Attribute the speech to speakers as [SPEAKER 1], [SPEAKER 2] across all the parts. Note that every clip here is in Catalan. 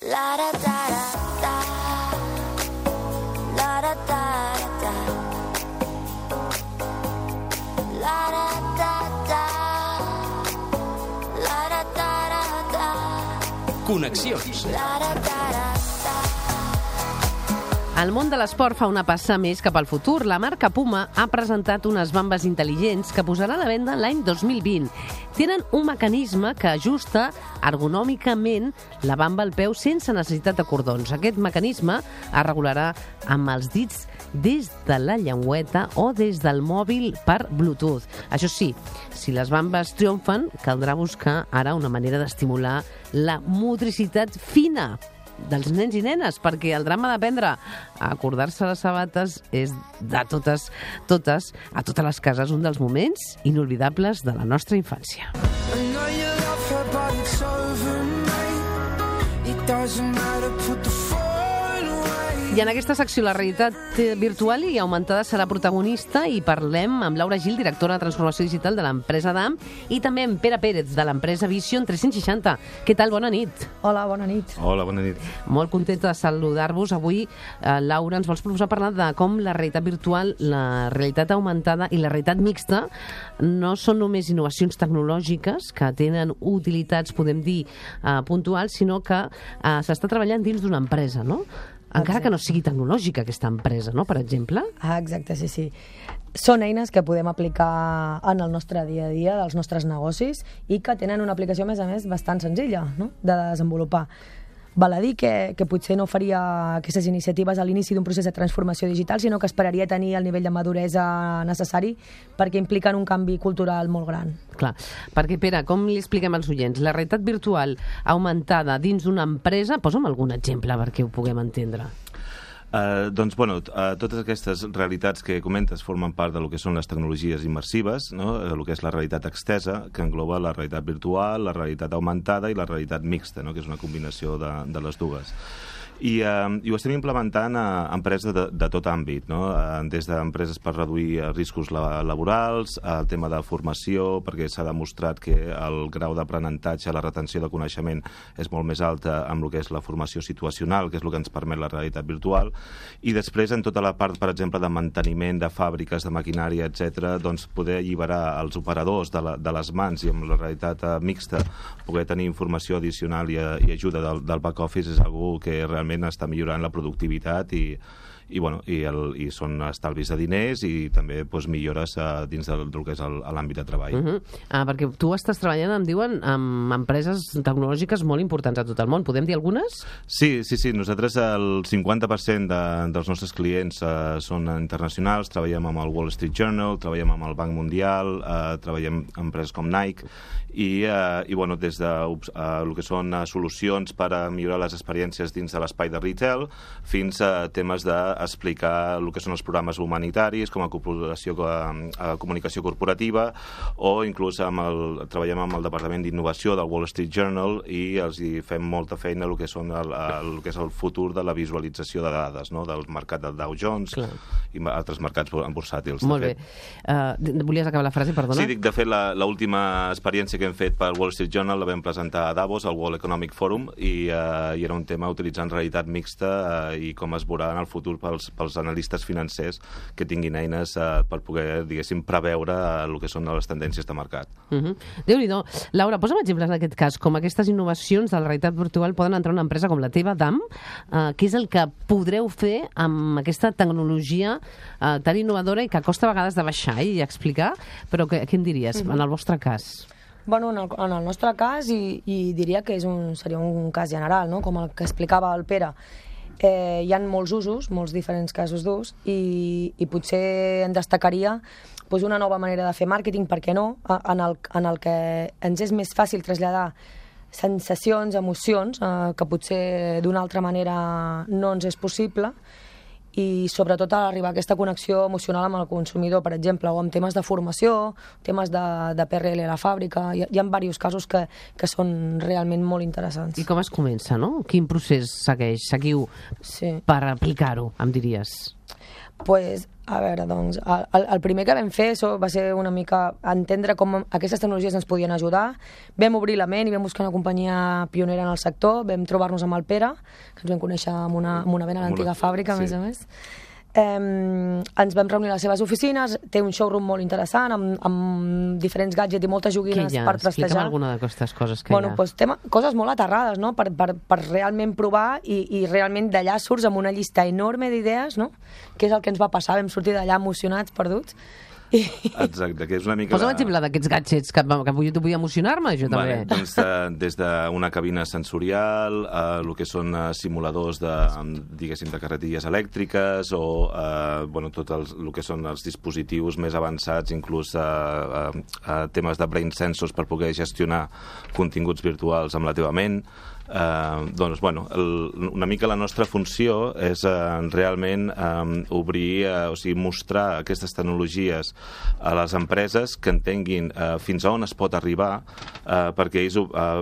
[SPEAKER 1] La da da da la da da da la da da da la da da da.
[SPEAKER 2] Connexions.
[SPEAKER 1] La da da da.
[SPEAKER 3] El món de l'esport fa una passa més cap al futur. La marca Puma ha presentat unes bambes intel·ligents que posarà a la venda l'any 2020. Tenen un mecanisme que ajusta ergonòmicament la bamba al peu sense necessitat de cordons. Aquest mecanisme es regularà amb els dits des de la llengüeta o des del mòbil per Bluetooth. Això sí, si les bambes triomfen, caldrà buscar ara una manera d'estimular la motricitat fina dels nens i nenes, perquè el drama d'aprendre a acordar-se les sabates és de totes les cases un dels moments inolvidables de la nostra infància. I en aquesta secció la realitat virtual i augmentada serà protagonista i parlem amb Laura Gil, directora de transformació digital de l'empresa DAM, i també amb Pere Pérez, de l'empresa Vision 360. Què tal? Bona nit.
[SPEAKER 4] Hola, bona nit.
[SPEAKER 5] Hola, bona nit.
[SPEAKER 3] Molt contenta de saludar-vos. Avui, Laura, ens vols proposar parlar de com la realitat virtual, la realitat augmentada i la realitat mixta no són només innovacions tecnològiques que tenen utilitats, podem dir, puntuals, sinó que s'està treballant dins d'una empresa, no? Encara que no sigui tecnològica aquesta empresa, no?, per exemple.
[SPEAKER 4] Exacte, sí. Són eines que podem aplicar en el nostre dia a dia dels nostres negocis i que tenen una aplicació, a més, bastant senzilla, no?, de desenvolupar. Val a dir que potser no faria aquestes iniciatives a l'inici d'un procés de transformació digital, sinó que esperaria tenir el nivell de maduresa necessari perquè impliquen un canvi cultural molt gran.
[SPEAKER 3] Clar, perquè, Pere, com li expliquem als oients? La realitat virtual augmentada dins d'una empresa, posa'm algun exemple perquè ho puguem entendre.
[SPEAKER 5] Doncs, totes aquestes realitats que comentes formen part del que són les tecnologies immersives, no? El que és la realitat extesa, que engloba la realitat virtual, la realitat augmentada i la realitat mixta, no? Que és una combinació de les dues. I ho estem implementant a empreses de tot àmbit, no? Des d'empreses per reduir riscos laborals, el tema de formació, perquè s'ha demostrat que el grau d'aprenentatge, la retenció de coneixement és molt més alta amb el que és la formació situacional, que és el que ens permet la realitat virtual, i després en tota la part, per exemple, de manteniment de fàbriques, de maquinària, etc., doncs poder alliberar els operadors de les mans i amb la realitat mixta poder tenir informació addicional i ajuda del back-office és algo que realment està millorant la productivitat i són estalvis de diners i també millores dins del que és l'àmbit de treball.
[SPEAKER 3] Perquè tu estàs treballant, em diuen, amb empreses tecnològiques molt importants a tot el món. Podem dir algunes?
[SPEAKER 5] Sí. Nosaltres el 50% dels nostres clients són internacionals. Treballem amb el Wall Street Journal, treballem amb el Banc Mundial, treballem amb empreses com Nike i des de el que són solucions per a millorar les experiències dins de l'espai de retail fins a temes d'explicar el que són els programes humanitaris com a comunicació corporativa o inclús treballem amb el Departament d'Innovació del Wall Street Journal i els hi fem molta feina el que és el futur de la visualització de dades, no? Del mercat del Dow Jones. Clar. I altres mercats bursàtils.
[SPEAKER 3] Molt bé. Volies acabar la frase, perdona?
[SPEAKER 5] Sí, de fet, l'última experiència que hem fet pel Wall Street Journal la vam presentar a Davos, al World Economic Forum, i era un tema utilitzant realitat mixta i com es veurà en el futur pels analistes financers que tinguin eines per poder, diguéssim, preveure el que són les tendències de mercat.
[SPEAKER 3] Déu-n'hi-do. Laura, posa'm exemples en aquest cas, com aquestes innovacions de la realitat virtual poden entrar en una empresa com la teva, DAM, què és el que podreu fer amb aquesta tecnologia tan innovadora i que costa a vegades de baixar i explicar, però què em diries en el vostre cas?
[SPEAKER 4] Bueno, en el nostre cas, i diria que seria un cas general, no? Com el que explicava el Pere, hi ha molts usos, molts diferents casos d'ús, i potser en destacaria una nova manera de fer màrqueting, per què no, en el que ens és més fàcil traslladar sensacions, emocions, que potser d'una altra manera no ens és possible, i sobretot a arribar a aquesta connexió emocional amb el consumidor, per exemple, o amb temes de formació, temes de PRL a la fàbrica. Hi ha diversos casos que són realment molt interessants.
[SPEAKER 3] I com es comença, no? Quin procés seguiu per aplicar-ho, em diries?
[SPEAKER 4] Pues A veure, doncs, el primer que vam fer va ser una mica entendre com aquestes tecnologies ens podien ajudar. Vam obrir la ment i vam buscar una companyia pionera en el sector, vam trobar-nos amb el Pere, que ens vam conèixer amb una vent a l'antiga fàbrica, a més a més. Ens vam reunir a les seves oficines, té un showroom molt interessant amb diferents gadgets i moltes joguines per trastejar.
[SPEAKER 3] Explica'm alguna d'aquestes coses que hi ha.
[SPEAKER 4] Doncs coses molt aterrades, no? Per realment provar i realment d'allà surts amb una llista enorme d'idees, no? Que és el que ens va passar, vam sortir d'allà emocionats, perduts.
[SPEAKER 5] Exacte, que és una mica...
[SPEAKER 3] Posa l'exemple d'aquests gadgets que vull emocionar-me, jo també.
[SPEAKER 5] Doncs des d'una cabina sensorial, el que són simuladors diguéssim, de carretilles elèctriques o tot el que són els dispositius més avançats, inclús temes de brain sensors per poder gestionar continguts virtuals amb la teva ment. Doncs, una mica la nostra funció és realment obrir, o sigui, mostrar aquestes tecnologies a les empreses que entenguin fins a on es pot arribar perquè ells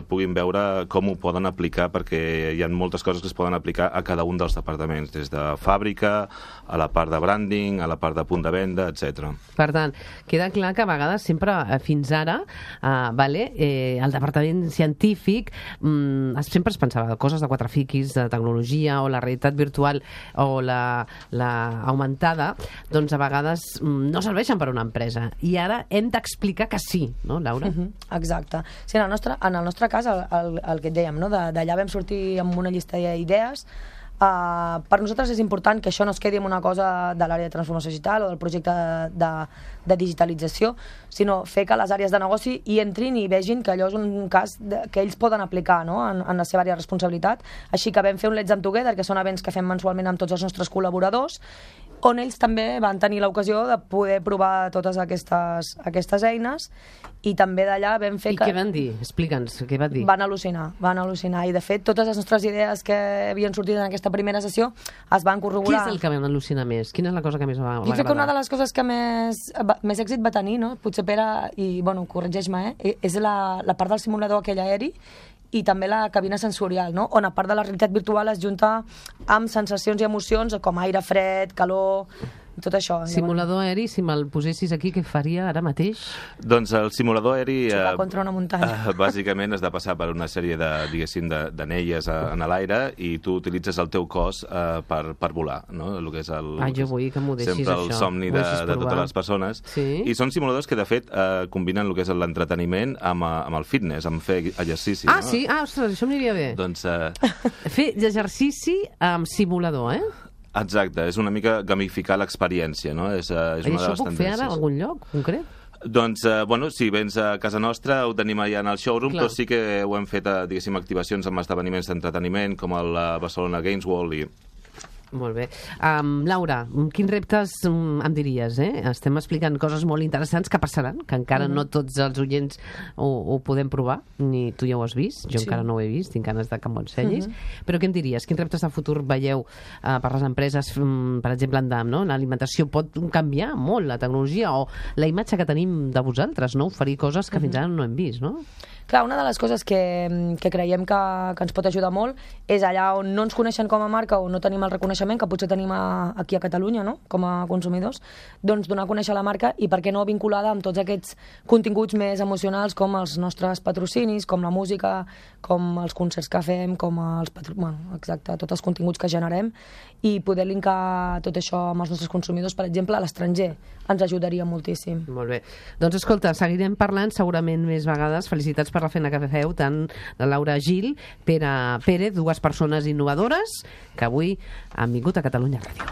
[SPEAKER 5] puguin veure com ho poden aplicar, perquè hi ha moltes coses que es poden aplicar a cada un dels departaments, des de fàbrica, a la part de branding, a la part de punt de venda, etc.
[SPEAKER 3] Per tant, queda clar que a vegades sempre, fins ara, el departament científic sempre es pensava coses de quatre fiquis, de tecnologia o la realitat virtual o la augmentada, doncs a vegades no serveixen per a una empresa. I ara hem d'explicar que sí, no, Laura?
[SPEAKER 4] Exacte. Sí, en el nostre cas, el que et dèiem, no? D'allà vam sortir amb una llista d'idees. Per nosaltres és important que això no es quedi en una cosa de l'àrea de transformació digital o del projecte de digitalització, sinó fer que les àrees de negoci hi entrin i vegin que allò és un cas que ells poden aplicar, no? en la seva àrea de responsabilitat. Així que vam fer un Let's Am Together, que són events que fem mensualment amb tots els nostres col·laboradors, on ells també van tenir l'ocasió de poder provar totes aquestes eines, i també d'allà vam fer que...
[SPEAKER 3] I què van dir? Explica'ns, què va dir?
[SPEAKER 4] Van al·lucinar, i de fet totes les nostres idees que havien sortit en aquesta primera sessió es van corroborar.
[SPEAKER 3] Què és el que van al·lucinar més? Quina és la cosa que més va agradar?
[SPEAKER 4] Jo crec que una de les coses que més èxit va tenir, no? Potser Pere, i corregeix-me, és la part del simulador aquell aeri, i també la cabina sensorial, no? On a part de la realitat virtual es junta amb sensacions i emocions com aire fred, calor, tot això.
[SPEAKER 3] Simulador aeri, si me'l posessis aquí, què faria ara mateix?
[SPEAKER 5] Doncs el simulador aeri...
[SPEAKER 4] Xocar contra una muntanya.
[SPEAKER 5] Bàsicament has de passar per una sèrie d'anelles en l'aire i tu utilitzes el teu cos per volar, no? El que és
[SPEAKER 3] jo vull que m'ho deixis,
[SPEAKER 5] sempre el somni de totes les persones.
[SPEAKER 3] Sí?
[SPEAKER 5] I són simuladors que, de fet, combinen el que és l'entreteniment amb el fitness, amb fer exercici.
[SPEAKER 3] Ah, sí? Ostres, això m'aniria bé.
[SPEAKER 5] Doncs...
[SPEAKER 3] Fer exercici amb simulador,
[SPEAKER 5] Exacte, és una mica gamificar l'experiència, no? És una de les tendències.
[SPEAKER 3] I això puc fer ara a algun lloc concret?
[SPEAKER 5] Doncs, si vens a casa nostra, ho tenim allà en el showroom, però sí que ho hem fet, diguéssim, activacions amb esdeveniments d'entreteniment, com el Barcelona Games World i...
[SPEAKER 3] Molt bé. Laura, quins reptes em diries? Estem explicant coses molt interessants que passaran, que encara no tots els oients ho podem provar, ni tu ja ho has vist, jo encara no ho he vist, tinc ganes de que m'ho ensenyis, però què em diries? Quins reptes de futur veieu per les empreses, per exemple, l'alimentació pot canviar molt, la tecnologia o la imatge que tenim de vosaltres, no? Oferir coses que fins ara no hem vist, no?
[SPEAKER 4] Clar, una de les coses que creiem que ens pot ajudar molt és allà on no ens coneixen com a marca o no tenim el reconeixement que potser tenim aquí a Catalunya, no? Com a consumidors, doncs donar a conèixer la marca i per què no vinculada amb tots aquests continguts més emocionals com els nostres patrocinis, com la música, com els concerts que fem, com exacte, tots els continguts que generem, i poder linkar tot això amb els nostres consumidors, per exemple, a l'estranger. Ens ajudaria moltíssim.
[SPEAKER 3] Molt bé. Doncs escolta, seguirem parlant segurament més vegades. Felicitats per la feina que feu, tant la Laura Gil, Pere Pérez, dues persones innovadores que avui han vingut a Catalunya Ràdio.